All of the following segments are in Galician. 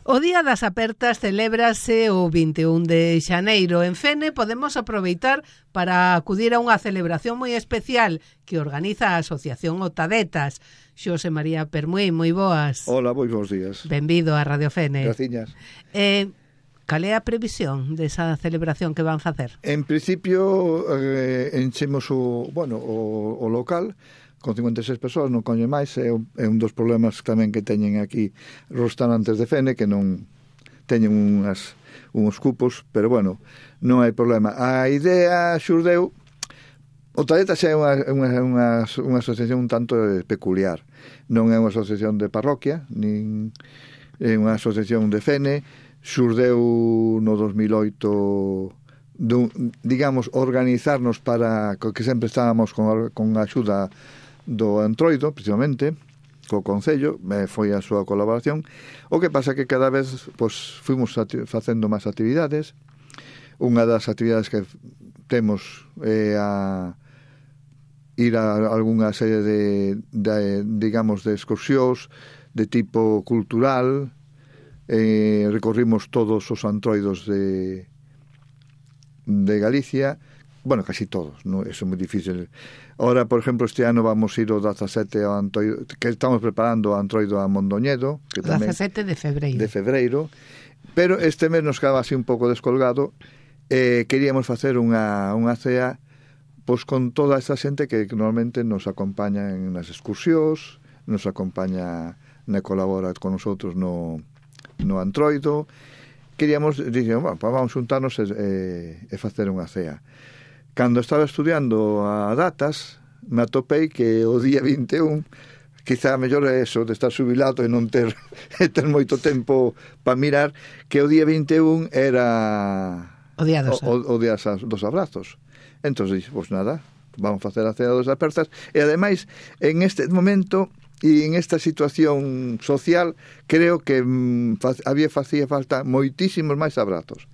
O Día das Apertas celébrase o 21 de xaneiro. En Fene podemos aproveitar para acudir a unha celebración moi especial que organiza a Asociación Otadetas. Xosé María Permuí, moi boas. Hola, moi bons días. Benvido a Radio Fene. Graciñas. Cal é a previsión desa celebración que van facer? En principio, enchemos o local con 56 persoas, non coño máis, é un dos problemas tamén que teñen aquí os restaurantes de Fene, que non teñen uns cupos, pero bueno, non hai problema. A idea xurdeu, Otadetas é unha asociación un tanto peculiar, non é unha asociación de parroquia, nin é unha asociación de Fene, xurdeu no 2008, digamos, organizarnos para que sempre estábamos con a axuda do Entroido, precisamente, co Concello, foi a súa colaboración. O que pasa que cada vez fuimos facendo máis actividades. Unha das actividades que temos é a ir a algunha serie digamos, de excursións de tipo cultural. Recorrimos todos os antroidos de Galicia. Bueno, casi todos, ¿no? Eso é moi difícil. Ahora, por ejemplo, este ano vamos ir o 17 ao Antroido, que estamos preparando o Antroido a Mondoñedo, que tamén 17 de febreiro. De febreiro. Pero este mes nos quedaba así un pouco descolgado. Queríamos facer unha cea pois con toda esta xente que normalmente nos acompaña en nas excursións, nos acompaña colabora con nosotros no Antroido. Queríamos, dixemos, vamos juntarnos e facer unha cea. Cando estaba estudiando a datas, me atopei que o día 21, quizá mellor é eso, de estar jubilado e non ter moito tempo para mirar, que o día 21 era o día dos abrazos. Entón, pois nada, vamos facer a cea dos apertas, e ademais, en este momento e en esta situación social, creo que facía falta moitísimos máis abrazos,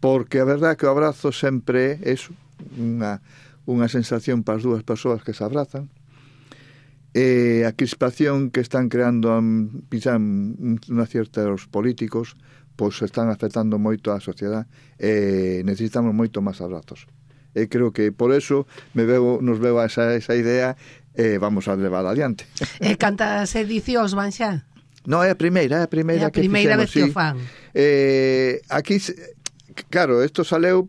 porque a verdade que o abrazo sempre é unha sensación para as dúas persoas que se abrazan. A crispación que están creando unha certos políticos, pois están afectando moito a sociedade, e necesitamos moito máis abrazos. E creo que por eso nos veo a esa idea, e vamos a levar adiante. E cantas edicións van xa? Non, é a primeira que fixemos, vez que o fan. Aquí, claro, isto saleu.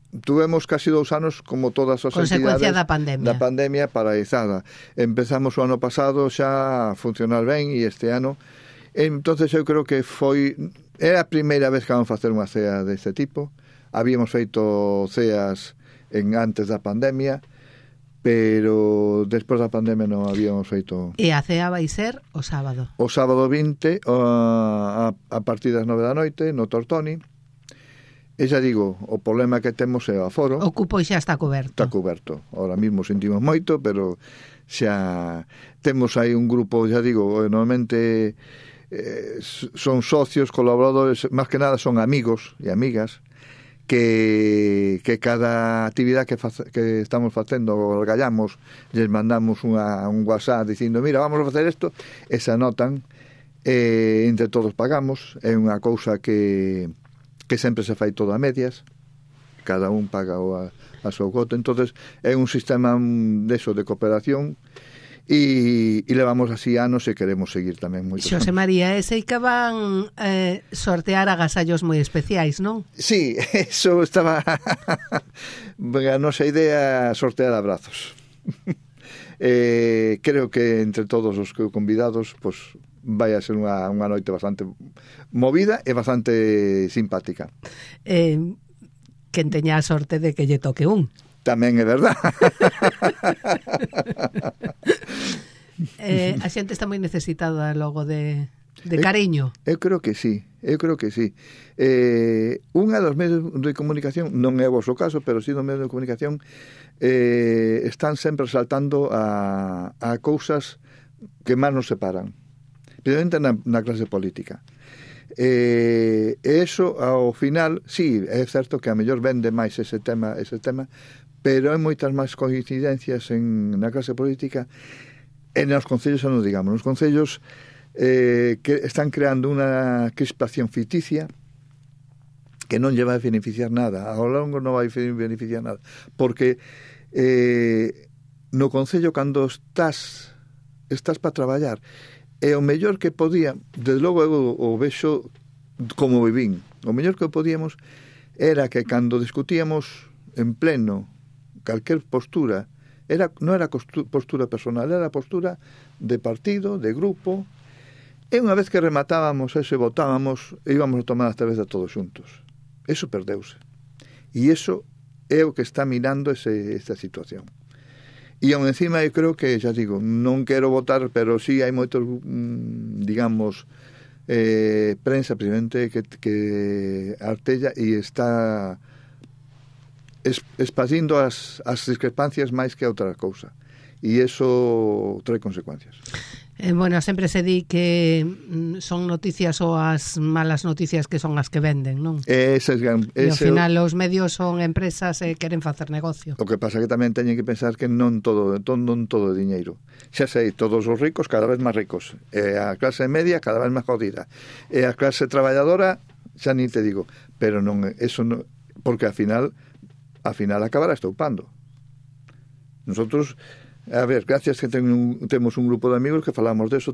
Tuvemos casi 2 anos como todas as consecuencia entidades da pandemia paralizada. Empezamos o ano pasado xa a funcionar ben, e este ano, entonces eu creo que era a primeira vez que vamos a facer unha cea deste tipo. Habíamos feito ceas antes da pandemia, pero despois da pandemia non habíamos feito. E a cea vai ser o sábado? O sábado 20 a partir das 9 da noite no Tortoni. E xa digo, o problema que temos é o aforo. O cupo xa está coberto. Está coberto. Ahora mismo sentimos moito, pero xa temos aí un grupo, xa digo, normalmente son socios, colaboradores, máis que nada son amigos e amigas, que cada actividade que estamos facendo, orgallamos, les mandamos un WhatsApp dicindo, mira, vamos a facer isto, e se anotan, entre todos pagamos. É unha cousa que sempre se fai todo a medias, cada un paga a súa cota. Entonces é un sistema de cooperación, e levamos así anos e queremos seguir tamén moito. Xosé María, sei que van sortear agasallos moi especiais, non? Sí, eso estaba a nosa idea, sortear abrazos. Creo que entre todos os convidados, pois vai a ser unha noite bastante movida e bastante simpática. Quen teña a sorte de que lle toque un. Tamén é verdad. A xente está moi necesitada logo de cariño. Eu creo que sí. Unha dos medios de comunicación, non é o vosso caso, pero sí dos medios de comunicación, están sempre saltando a cousas que máis nos separan, especialmente na clase política. E eso, ao final, sí, é certo que a mellor vende máis ese tema, pero hai moitas máis coincidencias na clase política e nos concellos, non digamos. Nos concellos que están creando unha crispación ficticia que non lle vai beneficiar nada, ao longo non vai beneficiar nada, porque no Concello, cando estás para traballar, e o mellor que podía, desde logo eu o vexo como vivín, o mellor que podíamos era que cando discutíamos en pleno calquer postura, non era postura personal, era postura de partido, de grupo, e unha vez que rematábamos eso e votábamos, íbamos a tomar a cerveza todos xuntos. Eso perdeuse. E iso é o que está minando esta situación. E aún encima eu creo que, xa digo, non quero votar, pero sí hai moitos, digamos, prensa, precisamente, que artella e está espacindo as discrepancias máis que outra cousa. E iso trae consecuencias. Bueno, sempre se di que son noticias ou as malas noticias que son as que venden, non? E ao final os medios son empresas e queren facer negocio. O que pasa que tamén teñen que pensar que non todo é diñeiro. Xa sei, todos os ricos cada vez máis ricos, e a clase media cada vez máis jodida, e a clase traballadora xa ni te digo, pero non, eso non, porque ao final acabará estoupando. Nosotros, a ver, gracias que temos un grupo de amigos que falamos de eso,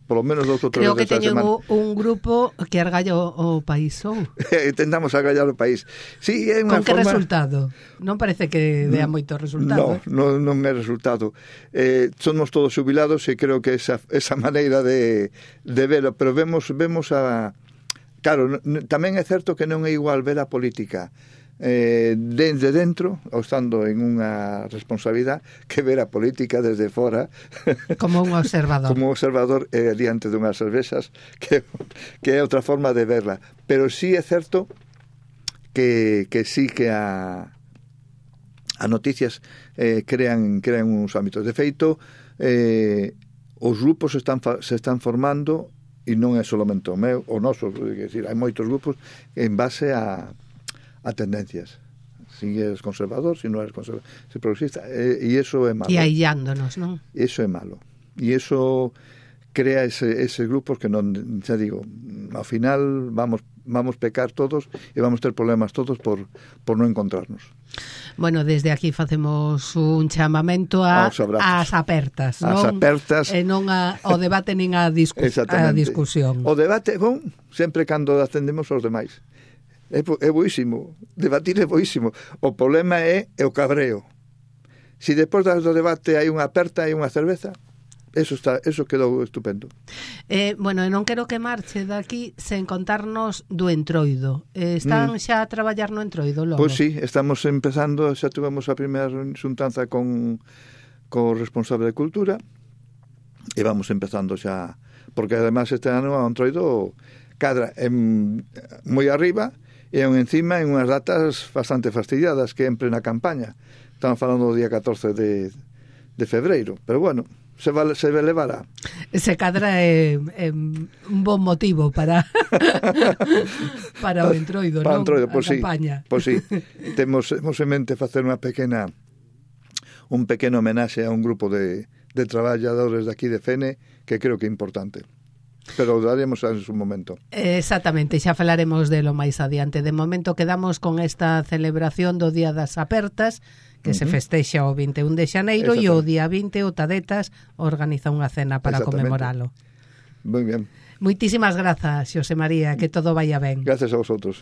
polo menos 2 ou 3 Creo que teñen un grupo que argalla o país, ou? Intentamos argallar o país. Sí, é unha Con que forma... resultado? Non parece que dea moito resultado. Non é resultado. Somos todos xubilados e creo que esa maneira de verlo, pero vemos a... Claro, tamén é certo que non é igual ver a política desde dentro, ou estando en unha responsabilidade, que ver a política desde fora como un observador diante dunhas cervezas, que é outra forma de verla. Pero sí é certo que sí que a noticias crean uns ámbitos. De feito, os grupos se están formando, e non é solamente o meu, o noso, é dicir, hai moitos grupos en base a tendencias. Si eres conservador, si non eres conservador, si progresista, e iso é malo. E aillándonos, non? Iso é malo. E iso crea ese grupos que non, xa digo, ao final vamos pecar todos e vamos ter problemas todos por non encontrarnos. Bueno, desde aquí facemos un chamamento ás apertas, non? As apertas. E non ao debate nin a discusión. O debate é bon sempre cando atendemos aos demais. É boísimo, debatir é boísimo. O problema é o cabreo. Si despois do debate hai unha aperta e unha cerveza, eso quedou estupendo. Bueno, non quero que marche daqui sen contarnos do Entroido. Están xa a traballar no Entroido logo? Pois sí, estamos empezando, xa tuvemos a primeira xuntanza con o responsable de Cultura e vamos empezando xa, porque además este ano o Entroido cadra moi arriba e encima en unhas datas bastante fastidiadas, que en plena campaña. Estamos falando do día 14 de febreiro, pero bueno, se levará. Se cadra é un bon motivo para o Entroido, non? Entroido, a campaña. Pois sí. Temos en mente facer un pequeno homenaxe a un grupo de traballadores de aquí de Fene, que creo que é importante. Pero daremos en su momento. Exactamente, xa falaremos de lo máis adiante. De momento quedamos con esta celebración do Día das Apertas, que se festexa o 21 de xaneiro, e o día 20 o Tadetas organiza unha cena para conmemoralo. Moi bien. Moitísimas grazas, Xosé María, que todo vaya ben. Gracias a vosotros.